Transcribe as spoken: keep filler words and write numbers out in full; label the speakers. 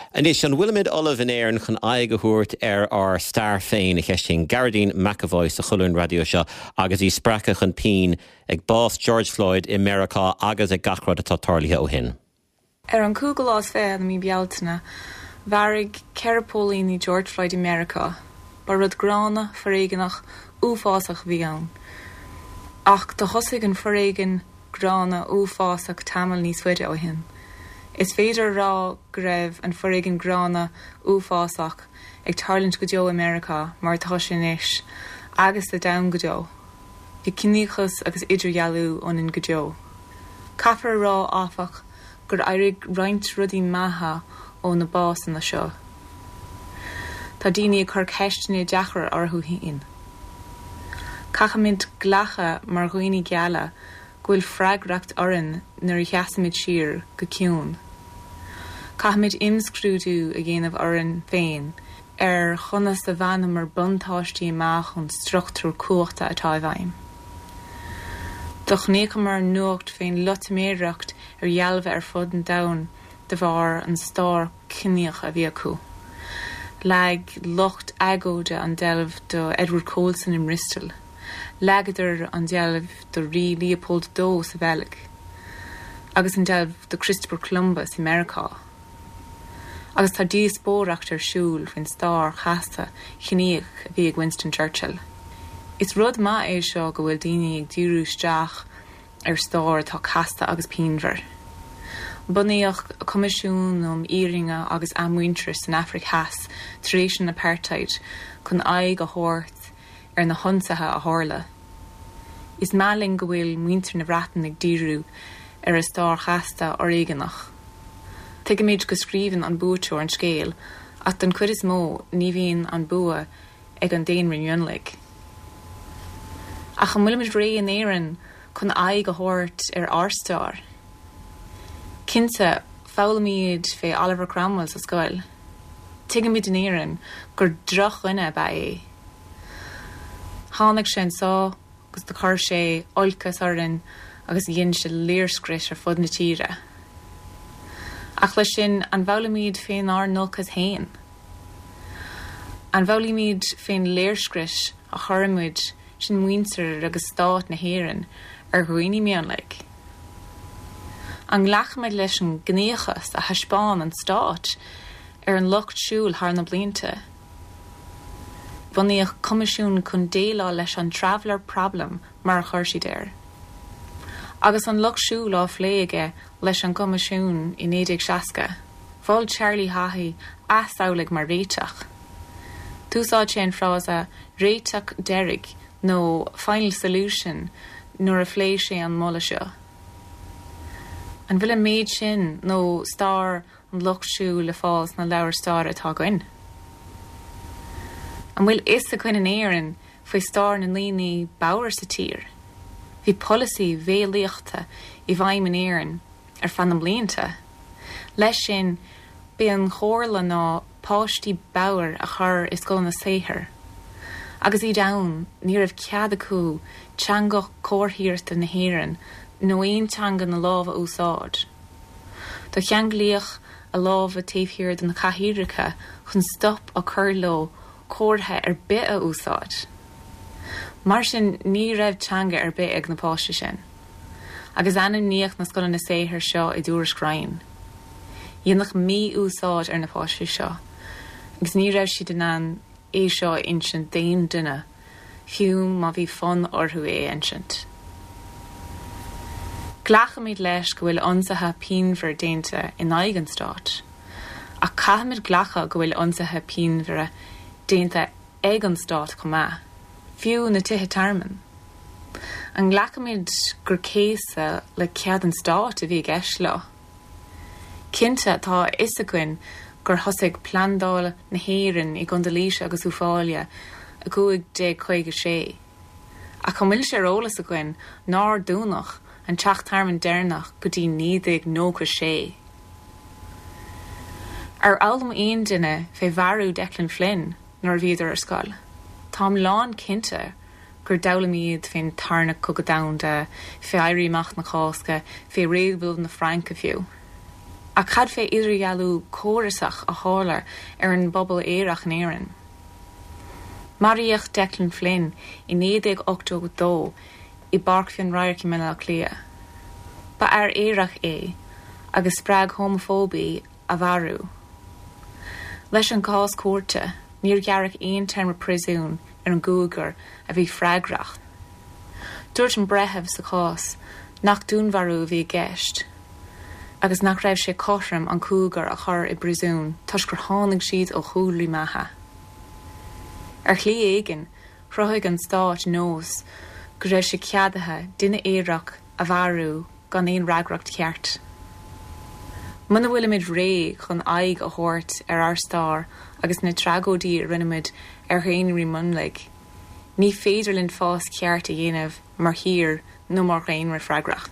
Speaker 1: Anois an bhfuilimid ullamh in Éirinn chun aghaidh a thabhairt ar ár stair féin a cheistíonn Gearóidín McEvoy sa cholún raidió seo agus í spreagtha chun pinn ag bás George Floyd i Meiriceá agus ag gach rud atá tarlaithe ó shin.
Speaker 2: Ar an cúigiú lá is fiche de mhí Bealtaine, mharaigh ceithre póilíní George Floyd i Meiriceá, ba rud gránna foréigeanach uafásach a bhí ann. Ach do thosaigh an foréigean gránna uafásach tamall níos faide ó shin. Is féidir rá go raibh an foréigean gránna uafásach ag tarlúint go deo i Meiriceá mar atá sé anois agus sa domhan go deo. Bhí ciníochas agus idirdhealú ionainn go deo. Caithfear a rá áfach gur éirigh roinnt rudaí maithe ó na básanna seo. Tá daoine ag cur ceisteanna deacra orthu féin. Caithfimid glacadh mar dhaoine geala go bhfuil freagracht orainn nuair a sheasaimid siar go ciúin. Caithfimid imscrúdú a dhéanamh orainn féin ar chonas a bhaineamar buntáistí amach ón struchtúr cumhachta atá i bhfeidhm. Do chonaiceamar nuacht faoin loitiméireacht ar dhealbha ar fud an domhain de bharr an stair chiníoch a bhí acu. Leag lucht agóide an deilbh do Edward Colston in Bristol. Leagadar an deilbh do rí Leopold dó sa Bheilg, agus an deilbh do Christopher Columbus i Meiriceá. Agus tá díospóireacht ar siúl faoin stair chasta chiníoch a bhí ag Winston Churchill. Is rud maith é seo go bhfuil daoine ag díriú isteach ar stair atá casta agus pianmhar. Bunaíodh Coimisiún um Fhírinne agus Athmhuintearas san Afraic Theas tar éis an apartheid chun aghaidh a thabhairt ar na hionsaithe a tharla. Is maith linn go bhfuil muintir na Breataine ag díriú ar a stair chasta fhoréigeanach. Tuigimid go scríobhann an buaiteoir an scéal ach den chuid is mó ní bhíonn an bua ag an daonra mionlaigh. Ach an bhfuilimid réidh in Éirinn chun aghaidh a thabhairt ar ár stair. Cinnte foghlaimímid fé Oliver Cromwell sa scoil. Tuigimid in Éirinn gur drochdhuine ab ea é. Tháinig sé anseo agus do chuir sé olcas orainn agus dhein sé léirscrios ar fud na tíre. Ach leis sin an bhfoghlaimímid faoinár n-olcas féin. An bhfoghlaimímid faoin léirscrios a chuirimid sin muintir agus stát na hÉireann ar dhaoine mionlaigh. An nglacfaimid leis an gciníochas a thaispeáin an stát ar an lucht siúil thar na blianta. Bunaíodh coimisiún chun déileáil leis an traveller problem mar a chuir siad air. Agus an lucht siúil á phlé aige leis an gcoimisiún i naoi déag seasca, Mhol Charlie Haughey asamhlaigh mar réiteach. D'úsáid sé an frása réiteach deiridh nó final solution nuair a phléigh sé an moladh seo. An bhfuil an méid sin nó stair an lucht siúil le fáil sna leabhair staire atá againn. An bhfuil fhios againn in Éirinn faoi stair na ndaoine bodhar sa tír. Bhí polasaí béalaíochta i bhfeidhm in Éirinn ar feadh na mblianta. Leis sin b'é an chomhairle ná páistí bodhar a chur i scoileanna saothair. Agus iad ann ní raibh cead acu teanga chomharthaíochta na hÉireann nó aon teanga na lámh a úsáid. Do cheanglaíodh a lámha taobh thiar de na cathaoireacha chun stop a chur leo comhartha ar bith a úsáid. Mar sin ní raibh teanga ar bith ag na páistí sin. Agus ainmníodh na scoileanna saothair seo i dtuairisc Ryan. Dhéanadh mí-úsáid ar na páistí seo, agus ní raibh siad in ann é seo a insint d'aon duine, fiú má bhí fonn orthu é a insint. Glacaimid leis go bhfuil ionsaithe pianmhar déanta in aghaidh an stáit, ach caithfimid glacadh go bhfuil ionsaithe pianmhara déanta ag an stát chomh maith, fiú na tithe tearmainn. An nglacaimid gur céasadh le cead an stáit a bhí i gceist leo. Cinnte tá a fhios againn gur thosaigh plandáil na hÉireann i gContae Laoise agus Uíbh Fhailí i cúig déag caoga sé. Ach an bhfuil sé ar eolas againn nár dúnadh an teach tearmainn deireanach go dtí naoi déag nócha sé. Ar fhoghlaim aon duine fé mharú Declan Flynn nuair a bhíodar ar scoil. Táim lán cinnte gur d'fhoghlaim iad faoin tarna cogadh domhanda, fé Éirí Amach na Cásca, fé réabhlóid na Fraince fiú. Ach cad fé idirdhealú córasach a tharla ar an bpobal aerach in Éirinn. Maraíodh Declan Flynn i naoi déag ochtó dó i bPáirc Bhinn Radhairc i mBaile Átha Cliath. Ba fhear aerach é agus spreag homafóibe a mharú. Leis an gcás cúirte níor gearradh aon téarma príosúin ar an gcúigear a bhí freagrach. Dúirt an breitheamh sa chás nach dúnmharú a bhí i gceist, agus nach raibh sé cothrom an cúigear a chur i bpríosún toisc gur tháinig siad ó chúlraí maithe. Ar shlí éigin chruthaigh an stát nós go raibh sé ceadaithe duine aerach a mharú gan aon fhreagracht cheart. Muna bhfuilimid réidh chun aghaidh a thabhairt ar ár stair agus na tragóidí a rinneadh ar dhaonraí mionlaigh, ní féidir linn fás ceart a dhéanamh mar thír nó mar dhaonra freagrach.